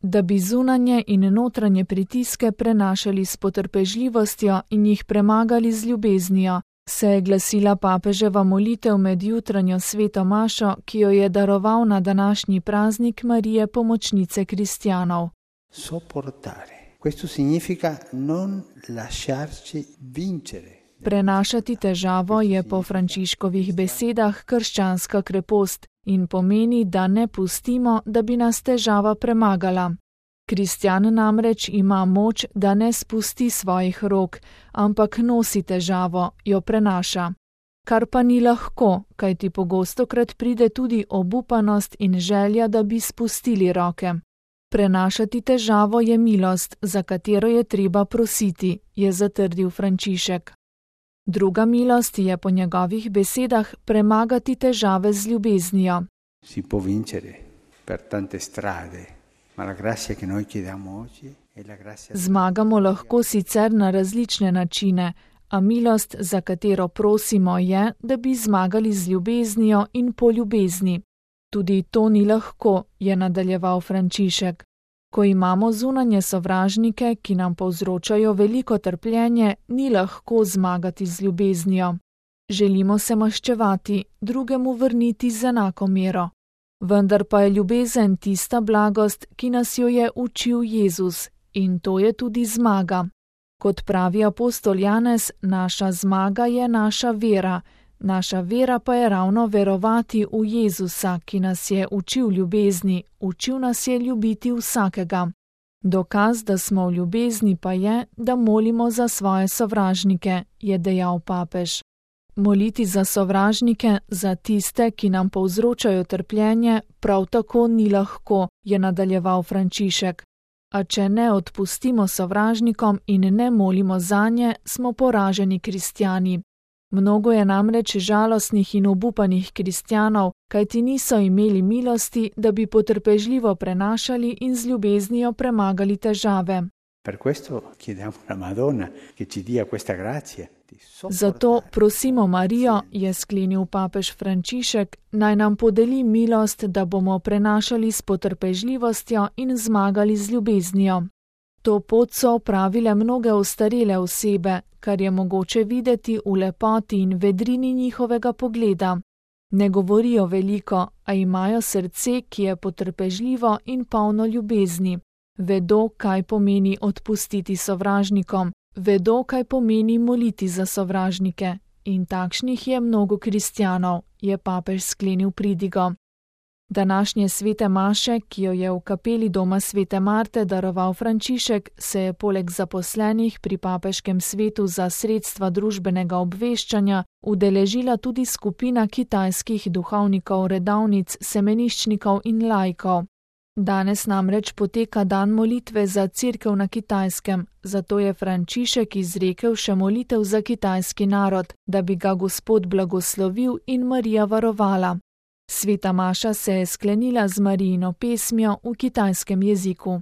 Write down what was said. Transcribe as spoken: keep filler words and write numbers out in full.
Da bi zunanje in notranje pritiske prenašali s potrpežljivostjo in jih premagali z ljubeznijo, se je glasila papeževa molitev med jutranjo sveto mašo, ki jo je daroval na današnji praznik Marije Pomočnice kristjanov. Sopportare. Questo significa non lasciarci vincere. Prenašati težavo je po Frančiškovih besedah krščanska krepost in pomeni, da ne pustimo, da bi nas težava premagala. Kristjan namreč ima moč, da ne spusti svojih rok, ampak nosi težavo, jo prenaša. Kar pa ni lahko, kajti pogostokrat pride tudi obupanost in želja, da bi spustili roke. Prenašati težavo je milost, za katero je treba prositi, je zatrdil Frančišek. Druga milost je po njegovih besedah premagati težave z ljubeznijo. Si può vincere per tante strade, ma la grazia che noi chiediamo oggi è la grazia. Zmagamo lahko sicer na različne načine, a milost, za katero prosimo, je, da bi zmagali z ljubeznijo in po ljubezni. Tudi to ni lahko, je nadaljeval Frančišek. Ko imamo zunanje sovražnike, ki nam povzročajo veliko trpljenje, ni lahko zmagati z ljubeznijo. Želimo se maščevati, drugemu vrniti z enako mero. Vendar pa je ljubezen tista blagost, ki nas jo je učil Jezus, in to je tudi zmaga. Kot pravi apostol Janez, naša zmaga je naša vera, naša vera pa je ravno verovati v Jezusa, ki nas je učil ljubezni, učil nas je ljubiti vsakega. Dokaz, da smo v ljubezni, pa je, da molimo za svoje sovražnike, je dejal papež. Moliti za sovražnike, za tiste, ki nam povzročajo trpljenje, prav tako ni lahko, je nadaljeval Frančišek. A če ne odpustimo sovražnikom in ne molimo zanje, smo poraženi kristjani. Mnogo je namreč žalostnih in obupanih kristjanov, kajti niso imeli milosti, da bi potrpežljivo prenašali in z ljubeznijo premagali težave. Per questo chiediamo alla Madonna che ci dia questa grazia. Zato prosimo Marijo, je sklenil papež Frančišek, naj nam podeli milost, da bomo prenašali s potrpežljivostjo in zmagali z ljubeznijo. To pot so opravile mnoge ostarele osebe, kar je mogoče videti v lepoti in vedrini njihovega pogleda. Ne govorijo veliko, a imajo srce, ki je potrpežljivo in polno ljubezni. Vedo, kaj pomeni odpustiti sovražnikom, vedo, kaj pomeni moliti za sovražnike. In takšnih je mnogo kristjanov, je papež sklenil pridigo. Današnje svete maše, ki jo je v kapeli doma svete Marte daroval Frančišek, se je poleg zaposlenih pri papeškem svetu za sredstva družbenega obveščanja udeležila tudi skupina kitajskih duhovnikov, redovnic, semeniščnikov in laikov. Danes namreč poteka dan molitve za Cerkev na Kitajskem, zato je Frančišek izrekel še molitev za kitajski narod, da bi ga Gospod blagoslovil in Marija varovala. Sveta maša se je sklenila z Marijino pesmijo v kitajskem jeziku.